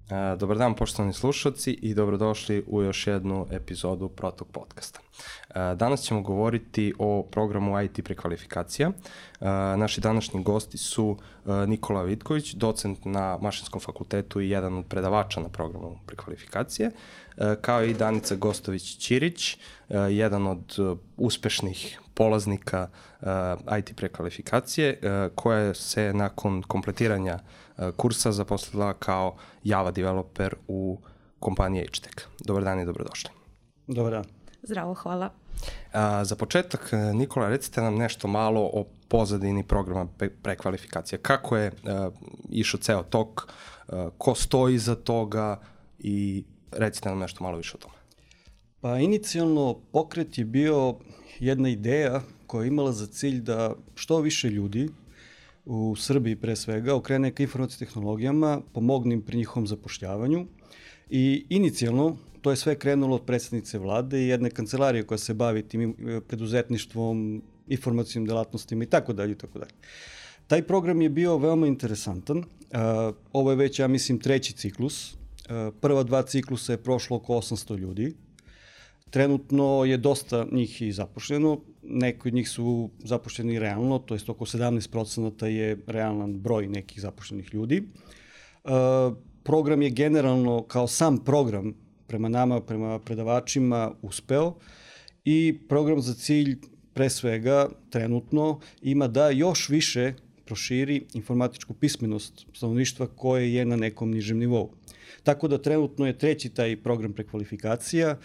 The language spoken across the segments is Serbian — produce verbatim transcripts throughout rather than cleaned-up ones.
Dobar dan, poštovani slušalci, i dobrodošli u još jednu epizodu Protok podcasta. Danas ćemo govoriti o programu I T prekvalifikacija. Naši današnji gosti su Nikola Vitković, docent na Mašinskom fakultetu i jedan od predavača na programu prekvalifikacije, kao i Danica Gostović-Ćirić, jedan od uspešnih polaznika I T prekvalifikacije, koja se nakon kompletiranja kursa zaposlila kao Java developer u kompaniji H Tech. Dobar dan i dobrodošli. Dobar dan. Zdravo, hvala. A, za početak, Nikola, recite nam nešto malo o pozadini programa prekvalifikacije. Kako je uh, išao ceo tok, uh, ko stoji iza toga i recite nam nešto malo više o tome. Pa inicijalno pokret je bio jedna ideja koja je imala za cilj da što više ljudi u Srbiji pre svega okrene ka informacijskim tehnologijama, pomogne im pri njihovom zapošljavanju i inicijalno to je sve krenulo od predsjednice vlade i jedne kancelarije koja se bavi tim preduzetništvom, informacijnim delatnostima i tako dalje i tako dalje. Taj program je bio veoma interesantan. Ovo je već, ja mislim, treći ciklus. Prva dva ciklusa je prošlo oko osamsto ljudi. Trenutno je dosta njih i zaposleno, neki od njih su zaposleni realno, to jest oko sedamnaest procenata je realan broj nekih zaposlenih ljudi. Program je generalno kao sam program prema nama, prema predavačima uspeo i program za cilj pre svega trenutno ima da još više proširi informatičku pismenost stanovništva koje je na nekom nižem nivou. Tako da trenutno je treći taj program prekvalifikacija.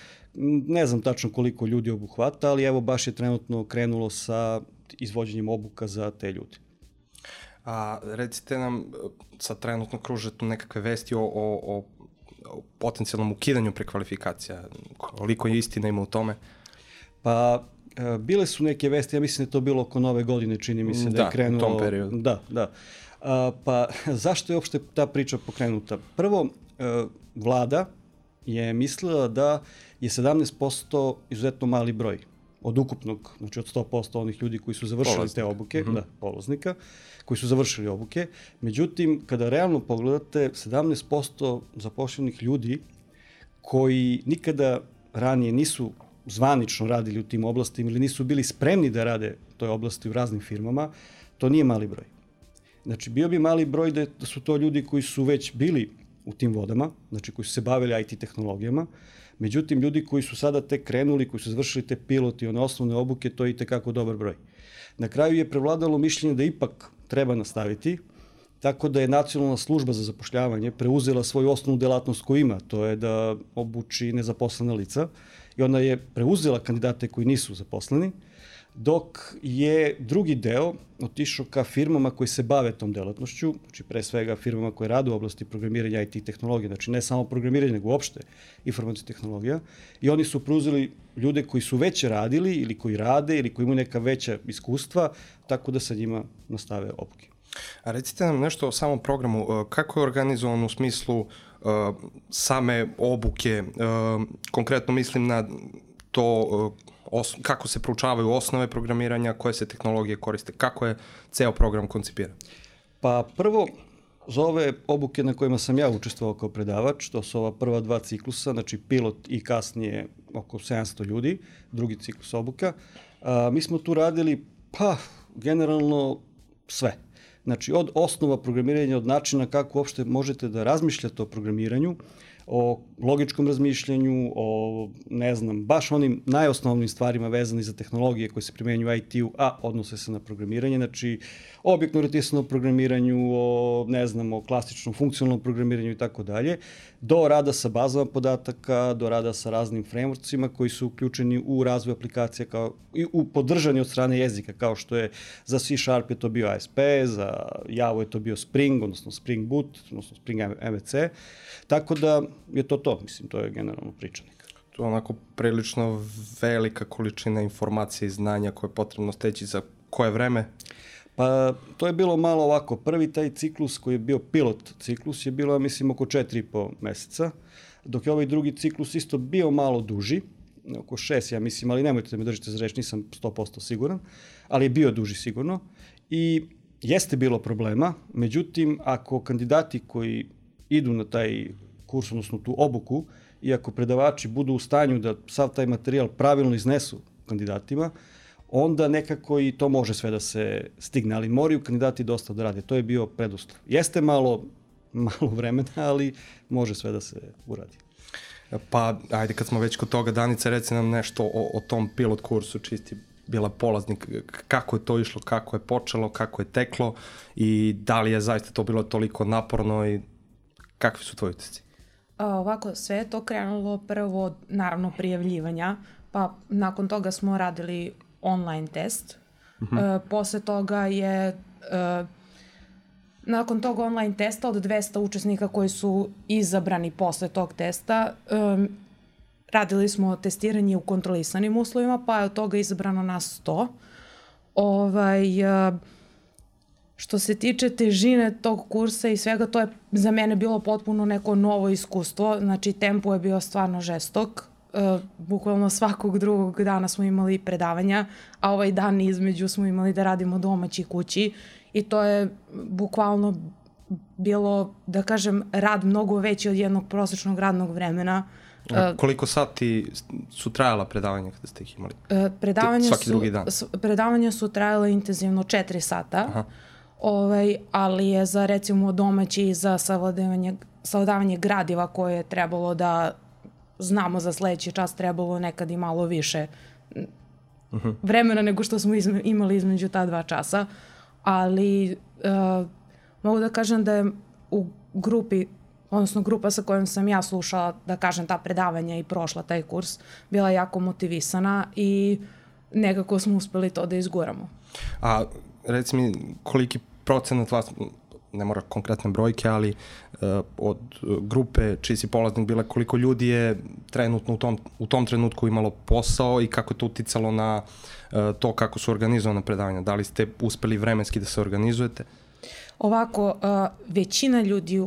Ne znam tačno koliko ljudi obuhvata, ali evo baš je trenutno krenulo sa izvođenjem obuka za te ljudi. A recite nam, sad trenutno kruže tu nekakve vesti o, o, o, o potencijalnom ukidanju prekvalifikacija. Koliko je istina ima u tome? Pa bile su neke vesti, ja mislim da je to bilo oko nove godine, čini mi se da, da je krenulo. Da, u tom periodu. Da, da. A, pa zašto je uopšte ta priča pokrenuta? Prvo, vlada je mislila da je sedamnaest posto izuzetno mali broj od ukupnog, znači od sto posto onih ljudi koji su završili Polaznik. te obuke, mm-hmm. da, polaznika, koji su završili obuke. Međutim, kada realno pogledate, sedamnaest posto zaposlenih ljudi koji nikada ranije nisu zvanično radili u tim oblastima ili nisu bili spremni da rade u toj oblasti u raznim firmama, to nije mali broj. Znači, bio bi mali broj da su to ljudi koji su već bili u tim vodama, znači koji su se bavili I T tehnologijama. Međutim, ljudi koji su sada tek krenuli, koji su završili te piloti, one osnovne obuke, to je itekako dobar broj. Na kraju je prevladalo mišljenje da ipak treba nastaviti, tako da je Nacionalna služba za zapošljavanje preuzela svoju osnovnu delatnost koju ima, to je da obuči nezaposlena lica i ona je preuzela kandidate koji nisu zaposleni, dok je drugi deo otišao ka firmama koji se bave tom delatnošću, znači pre svega firmama koje rade u oblasti programiranja I T tehnologije, znači ne samo programiranje, nego uopšte informacijska tehnologija, i oni su preuzeli ljude koji su već radili ili koji rade ili koji imaju neka veća iskustva, tako da sa njima nastave obuke. A recite nam nešto o samom programu, kako je organizovan u smislu uh, same obuke, uh, konkretno mislim na to uh, Os, kako se proučavaju osnove programiranja, koje se tehnologije koriste, kako je ceo program koncipiran? Pa prvo, za ove obuke na kojima sam ja učestvovao kao predavač, to su ova prva dva ciklusa, znači pilot i kasnije oko sedamsto ljudi, drugi ciklus obuka, a, mi smo tu radili, pa, generalno sve. Znači, od osnova programiranja, od načina kako uopšte možete da razmišljate o programiranju, o logičkom razmišljanju, o, ne znam, baš onim najosnovnim stvarima vezani za tehnologije koje se primenjuju u I T-u, a odnose se na programiranje, znači objektno orijentisano programiranju, o, ne znam, o klasičnom funkcionalnom programiranju i tako dalje, do rada sa bazama podataka, do rada sa raznim frameworksima koji su uključeni u razvoj aplikacija kao, i u podržanju od strane jezika, kao što je za C Sharp je to bio A S P, za Java je to bio Spring, odnosno Spring Boot, odnosno Spring M V C, tako da je to to, mislim, to je generalno pričanik. To je onako prilično velika količina informacije i znanja koje je potrebno steći za koje vreme? Pa to je bilo malo ovako. Prvi taj ciklus koji je bio pilot ciklus je bilo, mislim, oko četiri i po meseca, dok je ovaj drugi ciklus isto bio malo duži, oko šest, ja mislim, ali nemojte da me držite za reč, nisam sto posto siguran, ali je bio duži sigurno. I jeste bilo problema, međutim, ako kandidati koji idu na taj kurs, odnosno tu obuku, i ako predavači budu u stanju da sav taj materijal pravilno iznesu kandidatima, onda nekako i to može sve da se stigne, ali moraju kandidati dosta da rade. To je bio preduslov. Jeste malo, malo vremena, ali može sve da se uradi. Pa, ajde, kad smo već kod toga, Danica, reci nam nešto o, o tom pilot kursu, čisti bila polaznik, kako je to išlo, kako je počelo, kako je teklo i da li je zaista to bilo toliko naporno i kakvi su tvoji utisci? Ovako, sve je to krenulo prvo, naravno, prijavljivanja, pa nakon toga smo radili online test. Uh-huh. E, posle toga je, e, nakon tog online testa od dvesta učesnika koji su izabrani posle tog testa, e, radili smo testiranje u kontrolisanim uslovima, pa je od toga izabrano nas sto. Ovaj, e, što se tiče težine tog kursa i svega, to je za mene bilo potpuno neko novo iskustvo. Znači, tempo je bio stvarno žestok. Uh, bukvalno svakog drugog dana smo imali predavanja, a ovaj dan između smo imali da radimo domaći kući i to je bukvalno bilo, da kažem, rad mnogo veći od jednog prosječnog radnog vremena. Uh, koliko sati su trajala predavanja kada ste ih imali? Uh, predavanja Svaki su, drugi dan? Predavanja su trajala intenzivno četiri sata. Aha. Ovaj, ali je za recimo domaći i za savladavanje, savladavanje gradiva koje je trebalo da znamo za sledeći čas, trebalo nekad i malo više uh-huh. vremena nego što smo izme, imali između ta dva časa, ali uh, mogu da kažem da je u grupi, odnosno grupa sa kojom sam ja slušala, da kažem, ta predavanja i prošla taj kurs, bila jako motivisana i nekako smo uspeli to da izguramo. A reci mi, koliki procenat vas, ne mora konkretne brojke, ali uh, od grupe čiji si polaznik bila, koliko ljudi je trenutno u tom, u tom trenutku imalo posao i kako je to uticalo na uh, to kako su organizovane predavanja? Da li ste uspeli vremenski da se organizujete? Ovako, uh, većina ljudi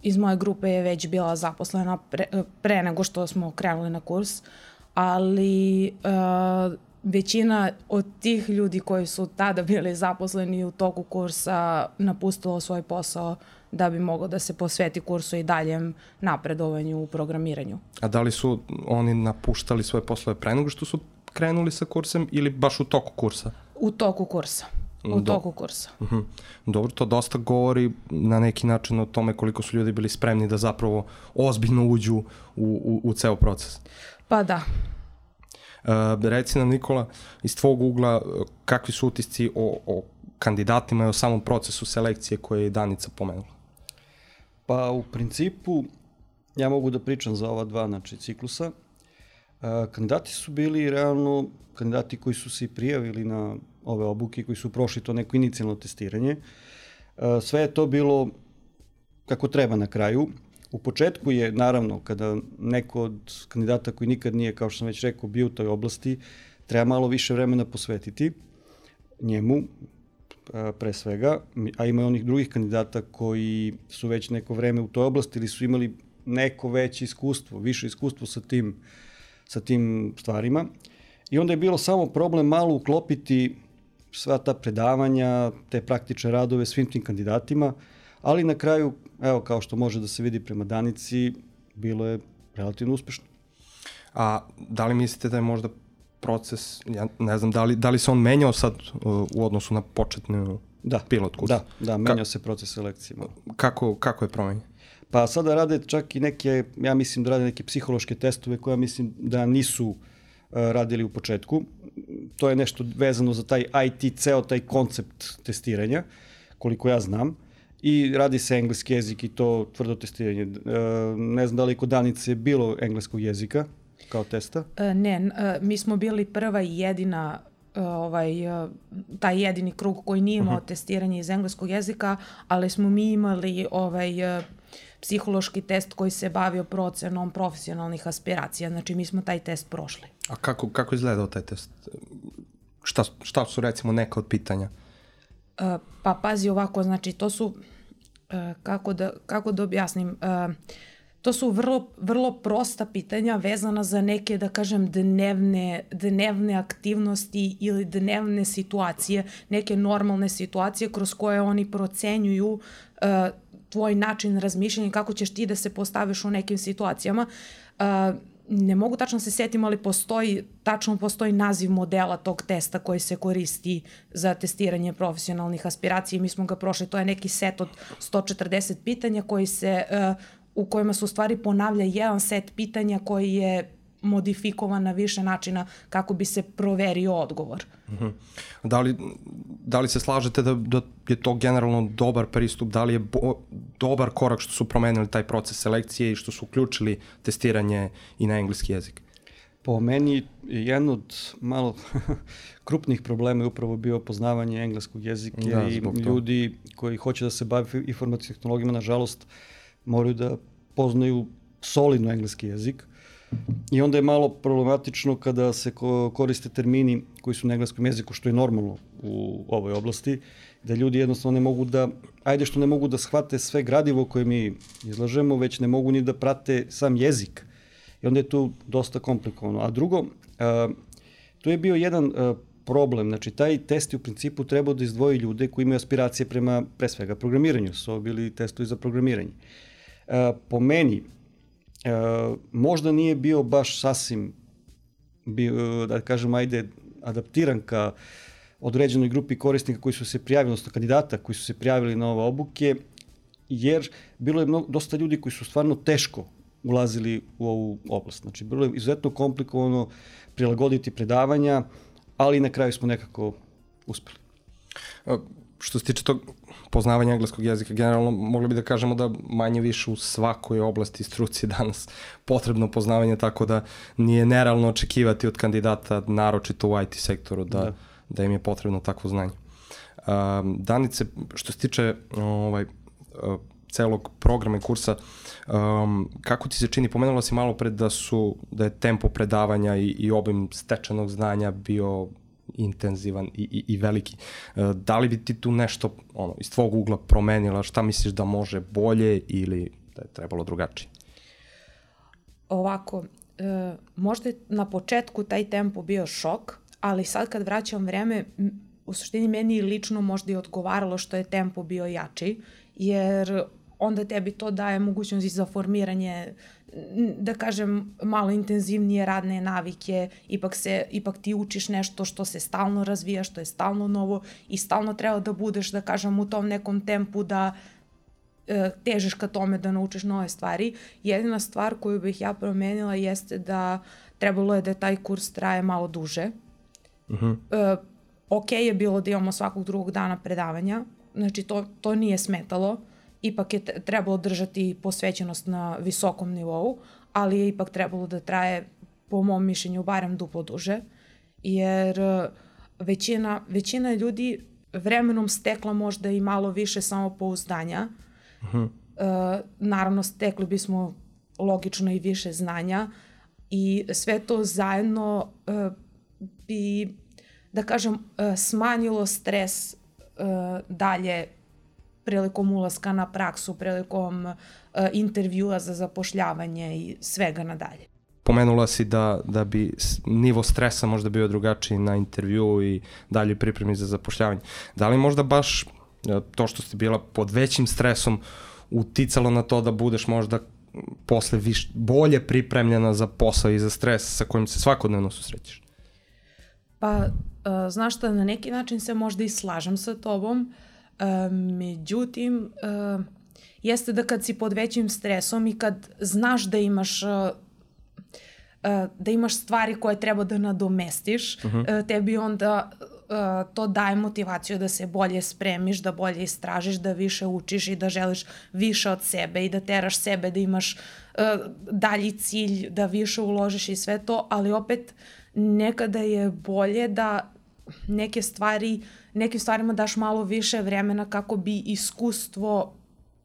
iz moje grupe je već bila zaposlena pre, pre nego što smo krenuli na kurs, ali uh, većina od tih ljudi koji su tada bili zaposleni u toku kursa napustilo svoj posao da bi moglo da se posveti kursu i daljem napredovanju u programiranju. A da li su oni napuštali svoje poslove pre nego što su krenuli sa kursem ili baš u toku kursa? U toku kursa. U Do... toku kursa. Uh-huh. Dobro, to dosta govori na neki način o tome koliko su ljudi bili spremni da zapravo ozbiljno uđu u, u, u ceo proces. Pa da. Uh, reci nam, Nikola, iz tvog ugla, kakvi su utisci o, o kandidatima i o samom procesu selekcije koje je Danica pomenula? Pa u principu, ja mogu da pričam za ova dva, znači, ciklusa. Uh, kandidati su bili realno kandidati koji su se i prijavili na ove obuke, koji su prošli to neko inicijalno testiranje. Uh, sve je to bilo kako treba na kraju. U početku je, naravno, kada neko od kandidata koji nikad nije, kao što sam već rekao, bio u toj oblasti, treba malo više vremena posvetiti njemu, pre svega, a ima i onih drugih kandidata koji su već neko vreme u toj oblasti ili su imali neko veće iskustvo, više iskustvo sa tim, sa tim stvarima. I onda je bilo samo problem malo uklopiti sva ta predavanja, te praktične radove svim tim kandidatima, ali na kraju, evo, kao što može da se vidi prema Danici, bilo je relativno uspešno. A da li mislite da je možda proces, ja ne znam, da li, da li se on menjao sad uh, u odnosu na početnu da, pilot kurs? Da, da, menjao Ka- se proces selekcije. Kako, kako je promenjen? Pa sada rade čak i neke, ja mislim da rade neke psihološke testove koje mislim da nisu uh, radili u početku. To je nešto vezano za taj I T, ceo taj koncept testiranja, koliko ja znam. I radi se engleski jezik i to tvrdo testiranje. E, ne znam da li kod Danice bilo engleskog jezika kao testa? E, ne, e, mi smo bili prva i jedina, e, ovaj, e, taj jedini krug koji nije imao uh-huh. testiranje iz engleskog jezika, ali smo mi imali ovaj, e, psihološki test koji se bavio procenom profesionalnih aspiracija. Znači, mi smo taj test prošli. A kako, kako izgledao taj test? Šta, šta su, recimo, neka od pitanja? Uh, pa pazi ovako, znači to su, uh, kako, da, kako da objasnim, uh, to su vrlo, vrlo prosta pitanja vezana za neke, da kažem, dnevne, dnevne aktivnosti ili dnevne situacije, neke normalne situacije kroz koje oni procenjuju uh, tvoj način razmišljanja, kako ćeš ti da se postaviš u nekim situacijama. Uh, ne mogu tačno se setim, ali postoji, tačno postoji naziv modela tog testa koji se koristi za testiranje profesionalnih aspiracija i mi smo ga prošli. To je neki set od sto četrdeset pitanja koji se, uh, u kojima se u stvari ponavlja jedan set pitanja koji je modifikovan na više načina kako bi se proverio odgovor. Uh-huh. Da li, da li se slažete da, da je to generalno dobar pristup, da li je bo, dobar korak što su promenili taj proces selekcije i što su uključili testiranje i na engleski jezik? Po meni jedan od malo krupnih problema je upravo bio poznavanje engleskog jezika da, i ljudi koji hoće da se bave informacijskim tehnologijama, nažalost, moraju da poznaju solidno engleski jezik. I onda je malo problematično kada se koriste termini koji su na engleskom jeziku, što je normalno u ovoj oblasti, da ljudi jednostavno ne mogu da, ajde što ne mogu da shvate sve gradivo koje mi izlažemo, već ne mogu ni da prate sam jezik. I onda je tu dosta komplikovano. A drugo, a, tu je bio jedan a, problem, znači taj test je u principu trebao da izdvoji ljude koji imaju aspiracije prema, pre svega, programiranju, su ovo bili testovi za programiranje. A, po meni, E, možda nije bio baš sasvim, bio, da kažem, ajde, adaptiran ka određenoj grupi korisnika koji su se prijavili, odnosno kandidata koji su se prijavili na ove obuke, jer bilo je mnogo, dosta ljudi koji su stvarno teško ulazili u ovu oblast. Znači, bilo je izuzetno komplikovano prilagoditi predavanja, ali na kraju smo nekako uspeli. A, što se tiče tog poznavanja engleskog jezika, generalno mogli bi da kažemo da manje više u svakoj oblasti struci danas potrebno poznavanje, tako da nije nerealno očekivati od kandidata, naročito u I T sektoru, da, da. da im je potrebno takvo znanje. Um, Danice, što se tiče ovaj, uh, celog programa i kursa, um, kako ti se čini, pomenula si malo pred da, su, da je tempo predavanja i, i obim stečenog znanja bio intenzivan i, i, i veliki. Da li bi ti tu nešto ono, iz tvog ugla promenila, šta misliš da može bolje ili da je trebalo drugačije? Ovako, e, možda je na početku taj tempo bio šok, ali sad kad vraćam vreme, u suštini meni lično možda i odgovaralo što je tempo bio jači, jer onda tebi to daje mogućnost i za formiranje, da kažem, malo intenzivnije radne navike, ipak, se, ipak ti učiš nešto što se stalno razvija, što je stalno novo i stalno treba da budeš, da kažem, u tom nekom tempu da e, težiš ka tome da naučiš nove stvari. Jedina stvar koju bih ja promenila jeste da trebalo je da taj kurs traje malo duže. Uh-huh. E, ok je bilo da imamo svakog drugog dana predavanja, znači to, to nije smetalo. Ipak je trebalo držati posvećenost na visokom nivou, ali je ipak trebalo da traje, po mom mišljenju, barem duplo duže, jer većina, većina ljudi vremenom stekla možda i malo više samopouzdanja. Uh-huh. E, naravno, stekli bismo logično i više znanja i sve to zajedno e, bi, da kažem, e, smanjilo stres e, dalje prilikom ulaska na praksu, prilikom uh, intervjua za zapošljavanje i svega nadalje. Pomenula si da, da bi nivo stresa možda bio drugačiji na intervju i dalje pripremi za zapošljavanje. Da li možda baš to što ste bila pod većim stresom uticalo na to da budeš možda posle viš, bolje pripremljena za posao i za stres sa kojim se svakodnevno susrećeš? Pa, uh, znaš šta, na neki način se možda i slažem sa tobom. Uh, međutim, uh, jeste da kad si pod većim stresom i kad znaš da imaš uh, uh, da imaš stvari koje treba da nadomestiš, uh-huh. uh, tebi onda uh, to daje motivaciju da se bolje spremiš, da bolje istražiš, da više učiš i da želiš više od sebe i da teraš sebe, da imaš uh, dalji cilj, da više uložiš i sve to, ali opet nekada je bolje da neke stvari, nekim stvarima daš malo više vremena kako bi iskustvo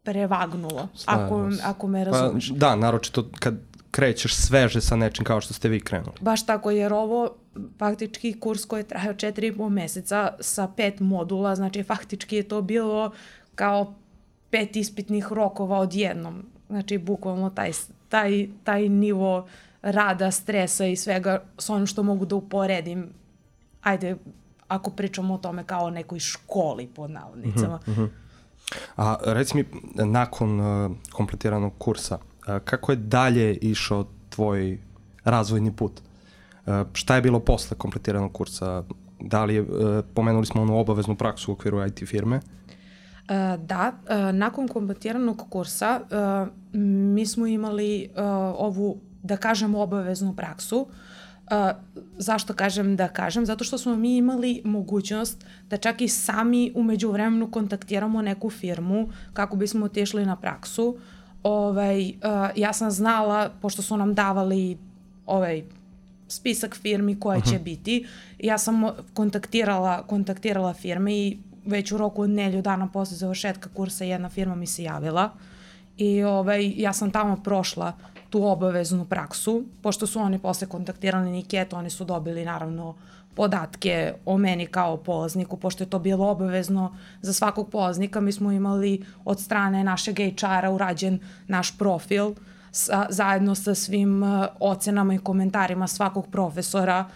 prevagnulo, ako, ako me razumeš. Pa, da, naročito kad krećeš sveže sa nečim kao što ste vi krenuli. Baš tako, jer ovo faktički kurs koji je trajao četiri i po meseca sa pet modula, znači faktički je to bilo kao pet ispitnih rokova odjednom. Znači bukvalno taj, taj, taj nivo rada, stresa i svega s onim što mogu da uporedim. Ajde, ako pričamo o tome kao o nekoj školi pod navodnicama. Uh-huh, uh-huh. A reci mi, nakon uh, kompletiranog kursa, uh, kako je dalje išao tvoj razvojni put? Uh, šta je bilo posle kompletiranog kursa? Da li je, uh, pomenuli smo onu obaveznu praksu u okviru I T firme? Uh, da, uh, nakon kompletiranog kursa uh, mi smo imali uh, ovu, da kažem, obaveznu praksu. Uh, zašto kažem da kažem? Zato što smo mi imali mogućnost da čak i sami umeđu vremenu kontaktiramo neku firmu kako bismo otišli na praksu. Ovaj, uh, ja sam znala, pošto su nam davali ovaj spisak firmi koje će biti, ja sam kontaktirala, kontaktirala firme i već u roku od nelju dana posle završetka kursa jedna firma mi se javila i ovaj, ja sam tamo prošla tu obaveznu praksu, pošto su oni posle kontaktirali Niketu, oni su dobili naravno podatke o meni kao polazniku, pošto je to bilo obavezno za svakog polaznika. Mi smo imali od strane našeg H R-a urađen naš profil sa, zajedno sa svim uh, ocenama i komentarima svakog profesora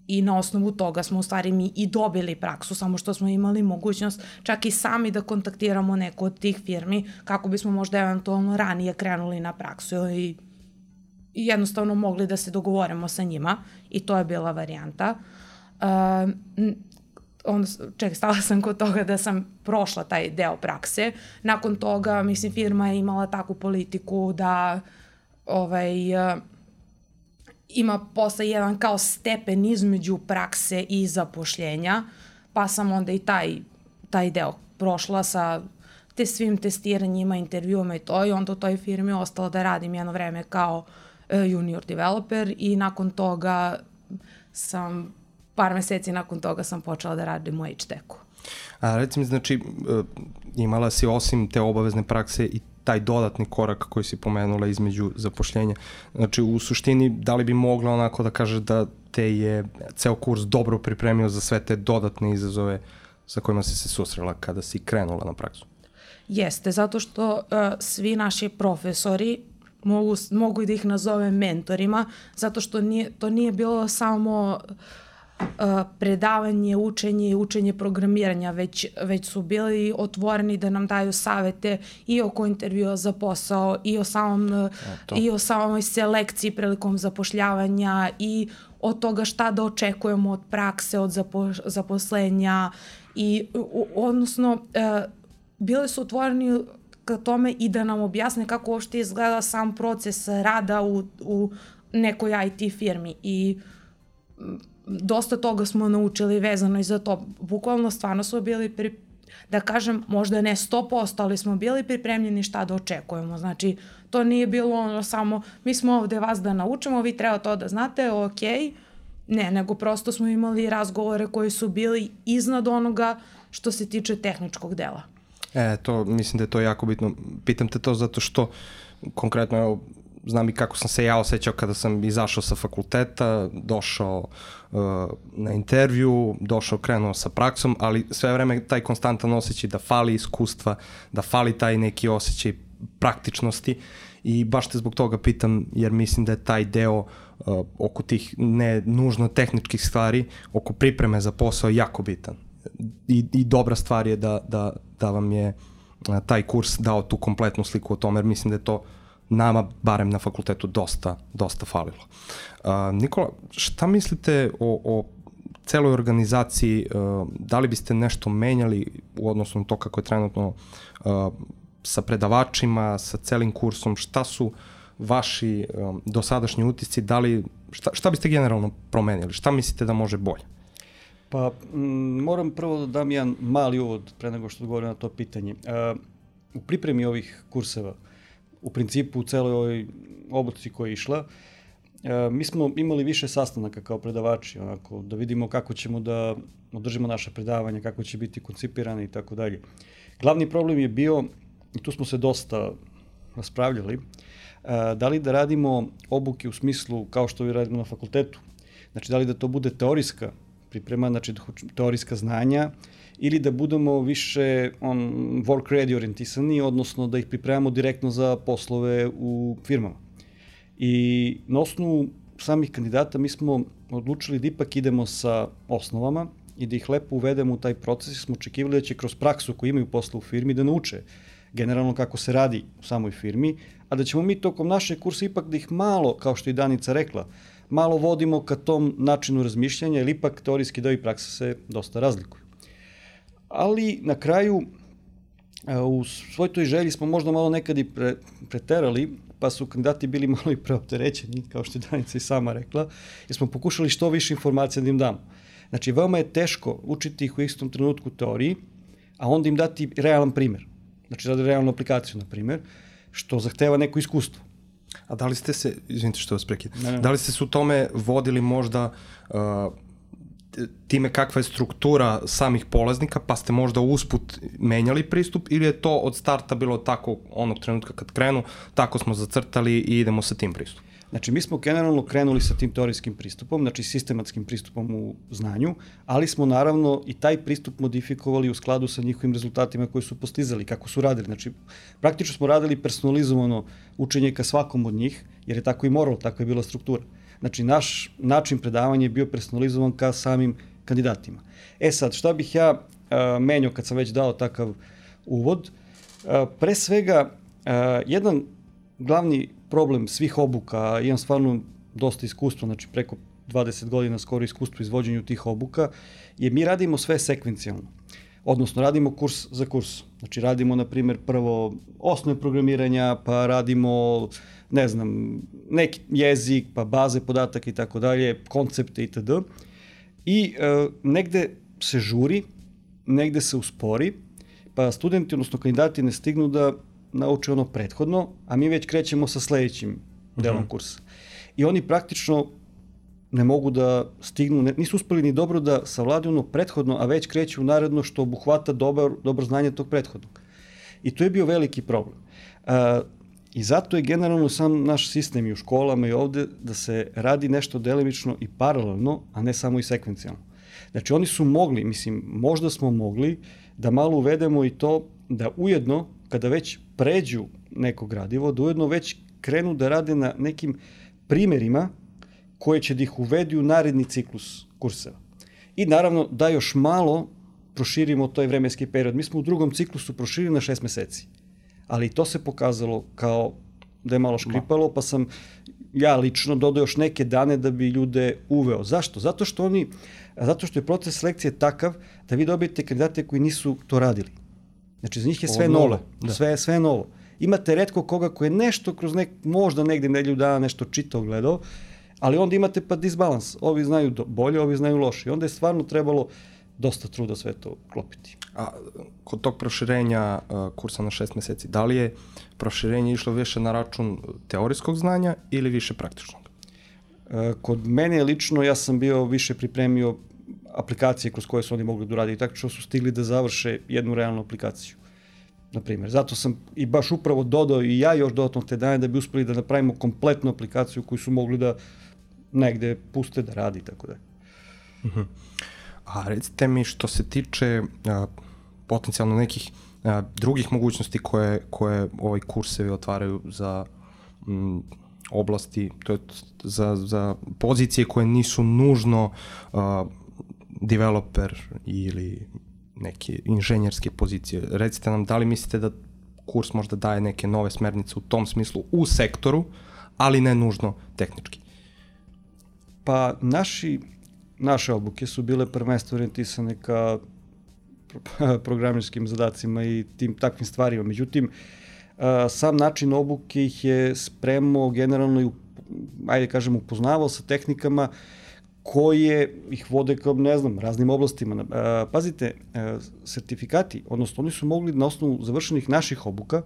i na osnovu toga smo u stvari mi i dobili praksu, samo što smo imali mogućnost čak i sami da kontaktiramo neku od tih firmi kako bismo možda eventualno ranije krenuli na praksu i jednostavno mogli da se dogovorimo sa njima i to je bila varijanta. Uh, onda, ček, stala sam kod toga da sam prošla taj deo prakse. Nakon toga, mislim, firma je imala takvu politiku da ovaj, uh, ima posle jedan kao stepen između prakse i zapošljenja, pa sam onda i taj, taj deo prošla sa te svim testiranjima, intervjuama i to, i onda u toj firmi ostala da radim jedno vreme kao uh, junior developer i nakon toga sam, par meseci nakon toga sam počela da radim u H-Techu. A reci mi, znači, imala si osim te obavezne prakse i taj dodatni korak koji si pomenula između zapošljenja. Znači, u suštini, da li bi mogla onako da kaže da te je ceo kurs dobro pripremio za sve te dodatne izazove sa kojima si se susrela kada si krenula na praksu? Jeste, zato što uh, svi naši profesori, mogu, mogu da ih nazovem mentorima, zato što nije, to nije bilo samo Uh, predavanje, učenje i učenje programiranja, već, već su bili otvoreni da nam daju savete i oko intervjua za posao i o, samom, i o samoj selekciji prilikom zapošljavanja i od toga šta da očekujemo od prakse, od zapo, zaposlenja i u, odnosno uh, bili su otvoreni ka tome i da nam objasne kako uopšte izgleda sam proces rada u, u nekoj I T firmi i dosta toga smo naučili vezano i za to. Bukvalno stvarno smo bili, pri, da kažem, možda ne sto posto, ali smo bili pripremljeni šta da očekujemo. Znači, to nije bilo ono samo, mi smo ovde vas da naučimo, vi treba to da znate, ok. Ne, nego prosto smo imali razgovore koji su bili iznad onoga što se tiče tehničkog dela. E, to, mislim da je to jako bitno. Pitam te to zato što, konkretno, evo, znam i kako sam se ja osjećao kada sam izašao sa fakulteta, došao uh, na intervju, došao, krenuo sa praksom, ali sve vreme taj konstantan osjećaj da fali iskustva, da fali taj neki osjećaj praktičnosti i baš te zbog toga pitam, jer mislim da je taj deo uh, oko tih ne nužno tehničkih stvari, oko pripreme za posao jako bitan. I, i dobra stvar je da, da, da vam je uh, taj kurs dao tu kompletnu sliku o tome, jer mislim da je to nama, barem na fakultetu, dosta, dosta falilo. Uh, Nikola, šta mislite o, o celoj organizaciji? Uh, da li biste nešto menjali u odnosu na to kako je trenutno uh, sa predavačima, sa celim kursom? Šta su vaši um, dosadašnji utisci? Da li, šta, šta biste generalno promenili? Šta mislite da može bolje? Pa, m, moram prvo da dam jedan mali uvod pre nego što odgovorim na to pitanje. Uh, u pripremi ovih kurseva, u principu u celoj ovoj obuci koja je išla, e, mi smo imali više sastanaka kao predavači, onako, da vidimo kako ćemo da održimo naše predavanja, kako će biti koncipirane i tako dalje. Glavni problem je bio, i tu smo se dosta raspravljali, e, da li da radimo obuke u smislu kao što vi radimo na fakultetu. Znači, da li da to bude teorijska priprema, znači teorijska znanja, ili da budemo više on, work ready orijentisani, odnosno da ih pripremamo direktno za poslove u firmama. I na osnovu samih kandidata mi smo odlučili da ipak idemo sa osnovama i da ih lepo uvedemo u taj proces, smo očekivali da će kroz praksu koju imaju posle u firmi da nauče generalno kako se radi u samoj firmi, a da ćemo mi tokom našeg kursa ipak da ih malo, kao što i Danica rekla, malo vodimo ka tom načinu razmišljanja, jer ipak teorijski deo i praksa se dosta razlikuju. Ali na kraju, u svoj toj želji smo možda malo nekad i pre, preterali, pa su kandidati bili malo i preopterećeni, kao što je Danica i sama rekla, jer smo pokušali što više informacija da im damo. Znači, veoma je teško učiti ih u istom trenutku teoriji, a onda im dati realan primer. Znači, radi realnu aplikaciju, na primer, što zahteva neko iskustvo. A da li ste se, izvinite što vas prekidam, da li ste se u tome vodili možda uh, time kakva je struktura samih polaznika, pa ste možda usput menjali pristup, ili je to od starta bilo tako onog trenutka kad krenu, tako smo zacrtali i idemo sa tim pristupom? Znači, mi smo generalno krenuli sa tim teorijskim pristupom, znači sistematskim pristupom u znanju, ali smo naravno i taj pristup modifikovali u skladu sa njihovim rezultatima koje su postizali, kako su radili. Znači, praktično smo radili personalizovano učenje ka svakom od njih, jer je tako i moralo, tako je bila struktura. Znači, naš način predavanja je bio personalizovan ka samim kandidatima. E sad, šta bih ja a, menjao kad sam već dao takav uvod? A, pre svega, a, jedan glavni problem svih obuka, imam stvarno dosta iskustva, znači preko dvadeset godina skoro iskustvo u izvođenju tih obuka, je mi radimo sve sekvencijalno. Odnosno, radimo kurs za kurs. Znači, radimo, na primjer, prvo osnove programiranja, pa radimo, ne znam, neki jezik, pa baze podataka i tako dalje, koncepte itd. I e, negde se žuri, negde se uspori, pa studenti, odnosno kandidati, ne stignu da nauče ono prethodno, a mi već krećemo sa sledećim delom uh-huh. kursa. I oni praktično ne mogu da stignu, ne, nisu uspeli ni dobro da savladaju ono prethodno, a već kreću u naredno što obuhvata dobar, dobro znanje tog prethodnog. I to je bio veliki problem. A, I zato je generalno sam naš sistem i u školama i ovde da se radi nešto delimično i paralelno, a ne samo i sekvencijalno. Znači, oni su mogli, mislim, možda smo mogli da malo uvedemo i to da ujedno, kada već pređu neko gradivo, da ujedno već krenu da rade na nekim primerima koje će da ih uvedi u naredni ciklus kurseva. I naravno da još malo proširimo taj vremenski period. Mi smo u drugom ciklusu proširili na šest meseci, ali to se pokazalo kao da je malo škripalo, pa sam ja lično dodao još neke dane da bi ljude uveo. Zašto? Zato što oni, zato što je proces selekcije takav da vi dobijete kandidate koji nisu to radili. Znači, za njih je sve novo. Da. Sve, sve novo. Imate retko koga koji je nešto kroz nek, možda negde nedelju dana nešto čitao, gledao, ali onda imate pa disbalans. Ovi znaju do, bolje, ovi znaju loše. I onda je stvarno trebalo dosta truda sve to klopiti. A kod tog proširenja uh, kursa na šest meseci, da li je proširenje išlo više na račun teorijskog znanja ili više praktičnog? Uh, kod mene lično ja sam bio više pripremio aplikacije kroz koje su oni mogli da uradi i tako što su stigli da završe jednu realnu aplikaciju. Na primjer, zato sam i baš upravo dodao i ja još dodatno te dane da bi uspeli da napravimo kompletnu aplikaciju koju su mogli da negde puste da radi i tako da. Uh-huh. A recite mi što se tiče a, potencijalno nekih a, drugih mogućnosti koje, koje ovaj kursevi otvaraju za m, oblasti, to je za, za pozicije koje nisu nužno a, developer ili neke inženjerske pozicije. Recite nam, da li mislite da kurs možda daje neke nove smernice u tom smislu u sektoru, ali ne nužno tehnički? Pa naši, naše obuke su bile prvenstveno orijentisane ka programirskim zadacima i tim takvim stvarima. Međutim, sam način obuke ih je spremao generalno i, ajde kažem, upoznavao sa tehnikama koje ih vode kao, ne znam, raznim oblastima. Pazite, sertifikati, odnosno oni su mogli na osnovu završenih naših obuka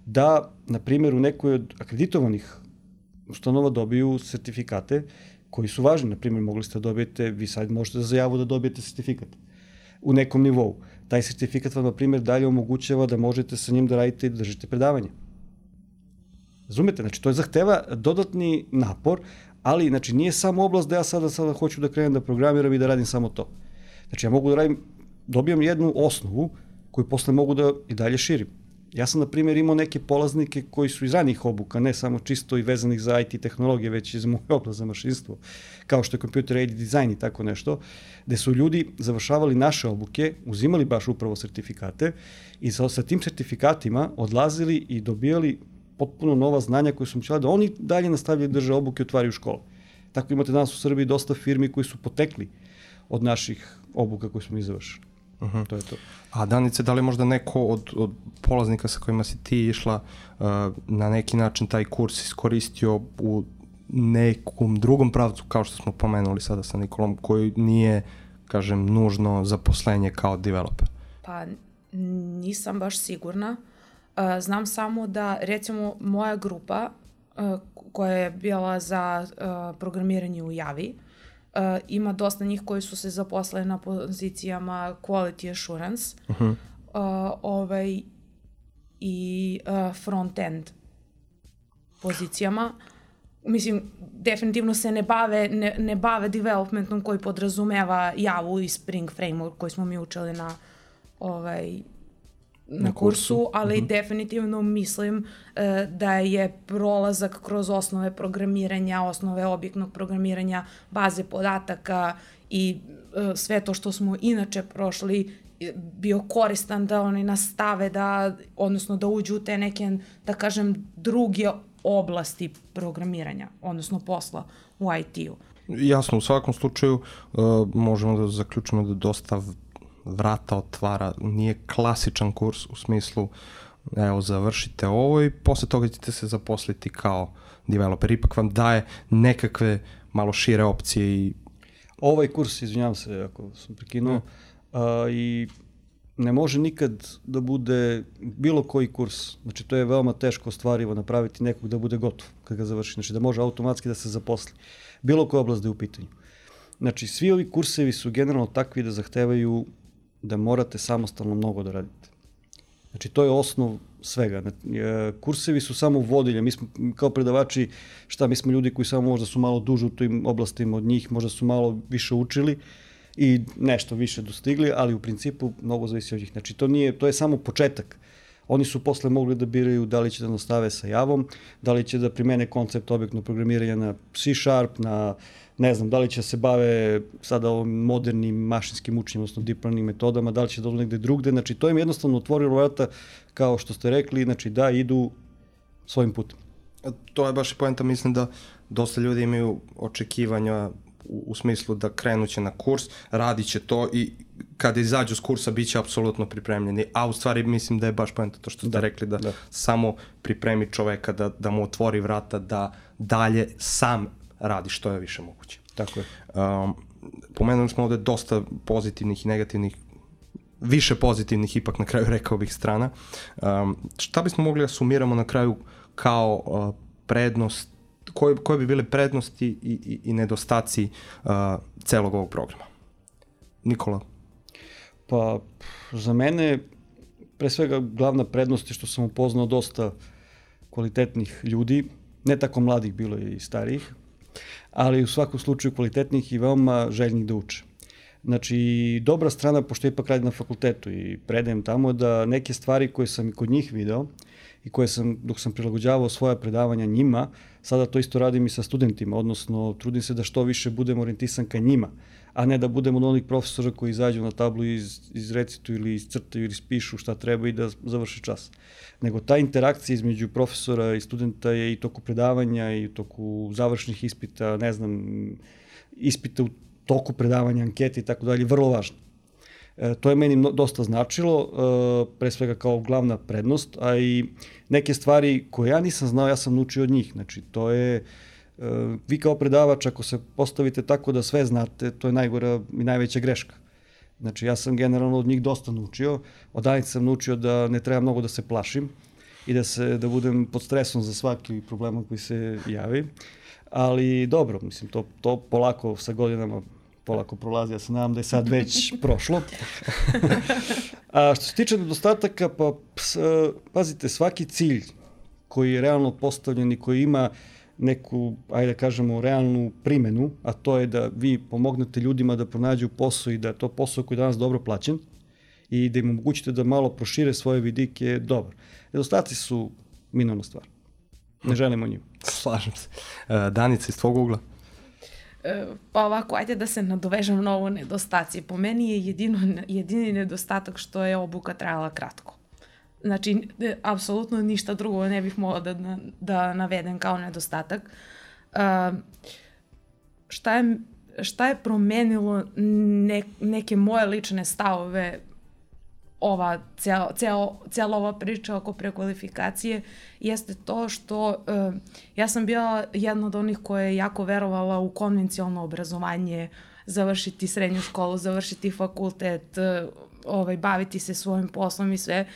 da, na primjer, u nekoj od akreditovanih ustanova dobiju sertifikate koji su važni. Na primjer, mogli ste da dobijete, vi sad možete za javu da dobijete sertifikat u nekom nivou. Taj sertifikat vam, na primjer, dalje omogućava da možete sa njim da radite i da držite predavanje. Razumete? Znači, to je zahteva dodatni napor, ali, znači, nije samo oblast da ja sada, sada hoću da krenem da programiram i da radim samo to. Znači, ja mogu da radim, dobijam jednu osnovu koju posle mogu da i dalje širim. Ja sam, na primjer, imao neke polaznike koji su iz ranih obuka, ne samo čisto i vezanih za I T tehnologije, već i za moju oblast za mašinstvo, kao što je computer aided design i tako nešto, gde su ljudi završavali naše obuke, uzimali baš upravo sertifikate i sa, sa tim sertifikatima odlazili i dobijali potpuno nova znanja koje su moćali da oni dalje nastavljaju drže obuke i otvaraju škole. Tako imate danas u Srbiji dosta firmi koji su potekli od naših obuka koje smo mi završili. Uh-huh. To je to. A Danice, da li možda neko od, od polaznika sa kojima si ti išla uh, na neki način taj kurs iskoristio u nekom drugom pravcu, kao što smo pomenuli sada sa Nikolom, koji nije, kažem, nužno zaposlenje kao developer? Pa nisam baš sigurna. Uh, znam samo da, recimo, moja grupa uh, koja je bila za uh, programiranje u Javi, Uh, ima dosta njih koji su se zaposlili na pozicijama quality assurance uh-huh. uh, ovaj, i uh, front-end pozicijama. Mislim, definitivno se ne bave, ne, ne bave developmentom koji podrazumeva Javu i Spring Framework koji smo mi učili na ovaj, na, na kursu, kursu, ali uh-huh. definitivno mislim uh, da je prolazak kroz osnove programiranja, osnove objektnog programiranja, baze podataka i uh, sve to što smo inače prošli bio koristan da oni nastave da, odnosno da uđu u te neke, da kažem, druge oblasti programiranja, odnosno posla u I T-u. Jasno, u svakom slučaju uh, možemo da zaključimo da dosta vrata otvara, nije klasičan kurs u smislu evo završite ovo i posle toga ćete se zaposliti kao developer, ipak vam daje nekakve malo šire opcije. I ovaj kurs, izvinjavam se ako sam prekinuo, uh, i ne može nikad da bude bilo koji kurs, znači to je veoma teško ostvarivo napraviti nekog da bude gotov kad ga završi, znači da može automatski da se zaposli, bilo koja oblast da je u pitanju. Znači svi ovi kursevi su generalno takvi da zahtevaju da morate samostalno mnogo da radite. Znači, to je osnov svega. Kursevi su samo vodilje. Mi smo kao predavači, šta, mi smo ljudi koji samo možda su malo duže u tim oblastima od njih, možda su malo više učili i nešto više dostigli, ali u principu mnogo zavisi od njih. Znači, to, nije, to je samo početak. Oni su posle mogli da biraju da li će da nastave sa Javom, da li će da primene koncept objektnog programiranja na C Sharp, na ne znam, da li će se bave sada ovim modernim mašinskim učenjem, odnosno deep learning metodama, da li će da odu negde drugde, znači to im jednostavno otvorilo vrata, kao što ste rekli, znači da idu svojim putem. To je baš i poenta, mislim da dosta ljudi imaju očekivanja u, u smislu da krenuće na kurs, radit će to i kada izađu s kursa bit će apsolutno pripremljeni, a u stvari mislim da je baš poenta to što ste da, rekli, da, da samo pripremi čoveka, da, da mu otvori vrata, da dalje sam radi što je više moguće. Tako je. Um, pomenuli smo ovde dosta pozitivnih i negativnih, više pozitivnih ipak na kraju rekao bih strana. Um, šta bismo mogli da sumiramo na kraju kao uh, prednost, koje, koje bi bile prednosti i, i, i nedostaci uh, celog ovog programa? Nikola? Pa, za mene, pre svega, glavna prednost je što sam upoznao dosta kvalitetnih ljudi, ne tako mladih, bilo je i starijih, ali u svakom slučaju kvalitetnih i veoma željnih da uče. Znači, dobra strana, pošto ipak radim na fakultetu i predajem tamo, da neke stvari koje sam i kod njih video i koje sam, dok sam prilagođavao svoja predavanja njima, sada to isto radim i sa studentima, odnosno trudim se da što više budem orijentisan ka njima, a ne da budem od onih profesora koji izađu na tablu i iz, izrecituju ili iscrtaju ili ispišu šta treba i da završi čas. Nego ta interakcija između profesora i studenta je i toku predavanja i u toku završnih ispita, ne znam, ispita u toku predavanja, ankete i tako dalje, vrlo važno. E, to je meni no, dosta značilo, e, pre svega kao glavna prednost, a i neke stvari koje ja nisam znao, ja sam naučio od njih. Znači, to je, e, vi kao predavač, ako se postavite tako da sve znate, to je najgora i najveća greška. Znači, ja sam generalno od njih dosta naučio, od Danice sam naučio da ne treba mnogo da se plašim i da, se, da budem pod stresom za svaki problem koji se javi, ali dobro, mislim, to, to polako sa godinama polako prolazi, ja se nadam da je sad već prošlo. A što se tiče nedostataka, pa ps, pazite, svaki cilj koji je realno postavljen i koji ima neku, ajde da kažemo, realnu primenu, a to je da vi pomognete ljudima da pronađu posao i da je to posao koji je danas dobro plaćen i da im omogućite da malo prošire svoje vidike je dobar. Nedostaci su minorna stvar. Ne želimo njim. Slažem se. Danica, iz tvog ugla? Pa ovako, ajde da se nadovežem na ovo nedostaci. Po meni je jedino, jedini nedostatak što je obuka trajala kratko. Znači, apsolutno ništa drugo ne bih mogla da, da navedem kao nedostatak. Uh, šta, je, šta je promenilo ne, neke moje lične stavove ova, cijela, cijela, cijela ova priča oko prekvalifikacije jeste to što uh, ja sam bila jedna od onih koja je jako verovala u konvencionalno obrazovanje, završiti srednju školu, završiti fakultet, uh, ovaj, baviti se svojim poslom i sve.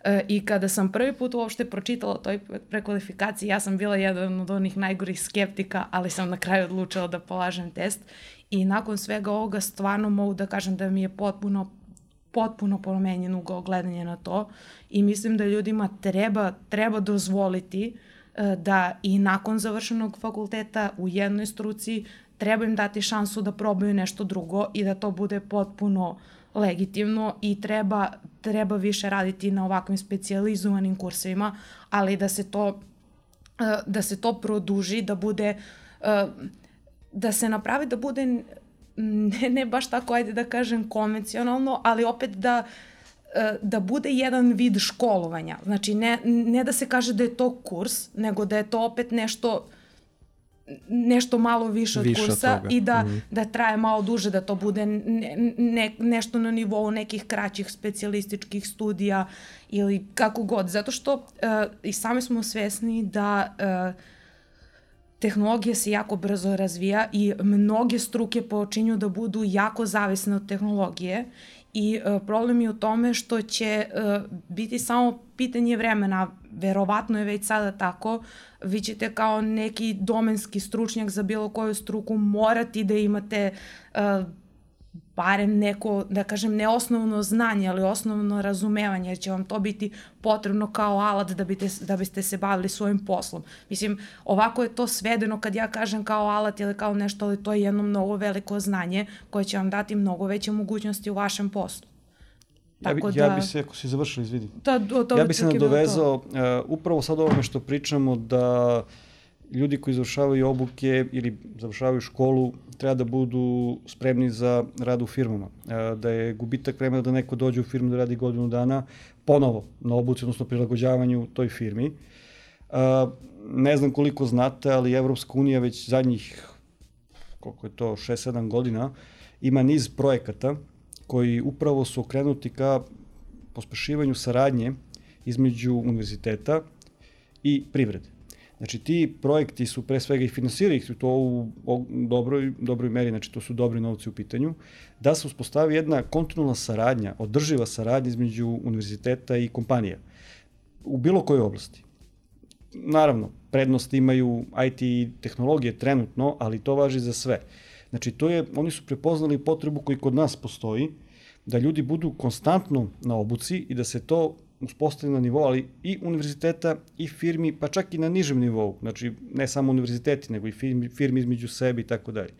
Uh, I kada sam prvi put uopšte pročitala o toj prekvalifikaciji, ja sam bila jedan od onih najgorih skeptika, ali sam na kraju odlučila da polažem test. I nakon svega ovoga stvarno mogu da kažem da mi je potpuno potpuno promenjen ugao gledanja na to i mislim da ljudima treba, treba dozvoliti uh, da i nakon završenog fakulteta u jednoj struci treba im dati šansu da probaju nešto drugo i da to bude potpuno legitimno i treba, treba više raditi na ovakvim specijalizovanim kursevima, ali da se to, uh, da se to produži, da bude, uh, da se napravi da bude Ne, ne baš tako, ajde da kažem, konvencionalno, ali opet da, da bude jedan vid školovanja. Znači, ne, ne da se kaže da je to kurs, nego da je to opet nešto, nešto malo više od više kursa od i da, mm. da traje malo duže, da to bude ne, ne, nešto na nivou nekih kraćih specijalističkih studija ili kako god. Zato što uh, i sami smo svesni da uh, tehnologija se jako brzo razvija i mnoge struke počinju da budu jako zavisne od tehnologije i uh, problem je u tome što će uh, biti samo pitanje vremena, verovatno je već sada tako, vi ćete kao neki domenski stručnjak za bilo koju struku morati da imate uh, barem neko, da kažem, ne osnovno znanje, ali osnovno razumevanje, jer će vam to biti potrebno kao alat da, biste, da biste se bavili svojim poslom. Mislim, ovako je to svedeno kad ja kažem kao alat ili kao nešto, ali to je jedno mnogo veliko znanje koje će vam dati mnogo veće mogućnosti u vašem poslu. Ja bi, Tako ja da, bi se, ako si završili, izvidi, ta, to, ja bi se nadovezao, uh, upravo sad ovome što pričamo, da ljudi koji završavaju obuke ili završavaju školu treba da budu spremni za rad u firmama. Da je gubitak vremena da neko dođe u firmu da radi godinu dana ponovo na obuci, odnosno prilagođavanju toj firmi. Ne znam koliko znate, ali Evropska unija već zadnjih, koliko je to, šest sedam godina, ima niz projekata koji upravo su okrenuti ka pospešivanju saradnje između univerziteta i privrede. Znači, ti projekti su pre svega i finansiraju ih to u dobroj, dobroj meri, znači to su dobri novci u pitanju, da se uspostavi jedna kontinualna saradnja, održiva saradnja između univerziteta i kompanija u bilo kojoj oblasti. Naravno, prednost imaju I T tehnologije trenutno, ali to važi za sve. Znači, to je, oni su prepoznali potrebu koji kod nas postoji, da ljudi budu konstantno na obuci i da se to uspostavljeno na nivou, ali i univerziteta i firmi, pa čak i na nižem nivou. Znači, ne samo univerziteti, nego i firmi, firmi između sebe i tako dalje.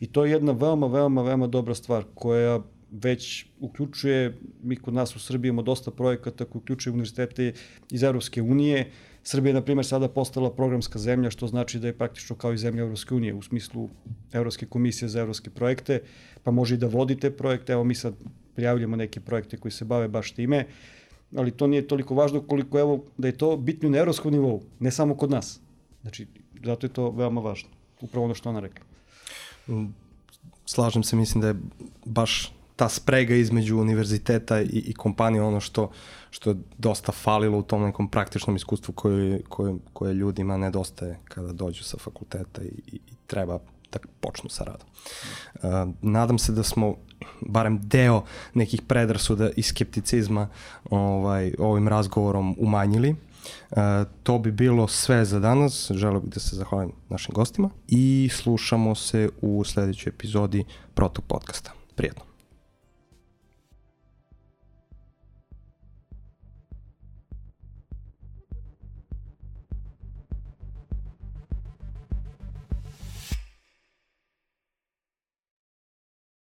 I to je jedna veoma, veoma, veoma dobra stvar koja već uključuje, mi kod nas u Srbiji imamo dosta projekata koji uključuje univerzitete iz Evropske unije. Srbija je, na primjer, sada postala programska zemlja, što znači da je praktično kao i zemlja Evropske unije, u smislu Evropske komisije za evropske projekte, pa može i da vodite projekte. Evo, mi sad prijavljamo neke projekte koji se bave baš time, ali to nije toliko važno koliko, evo, da je to bitno na evropskom nivou, ne samo kod nas. Znači, zato je to veoma važno. Upravo ono što ona rekla. Slažem se, mislim da je baš ta sprega između univerziteta i, i kompanije ono što, što je dosta falilo u tom nekom praktičnom iskustvu koje, koje, koje ljudima nedostaje kada dođu sa fakulteta i, i, i treba da počnu sa radom. Uh, nadam se da smo barem deo nekih predrasuda i skepticizma ovaj, ovim razgovorom umanjili. Uh, to bi bilo sve za danas. Želeo bih da se zahvalim našim gostima i slušamo se u sledećoj epizodi Protok podcasta. Prijetno.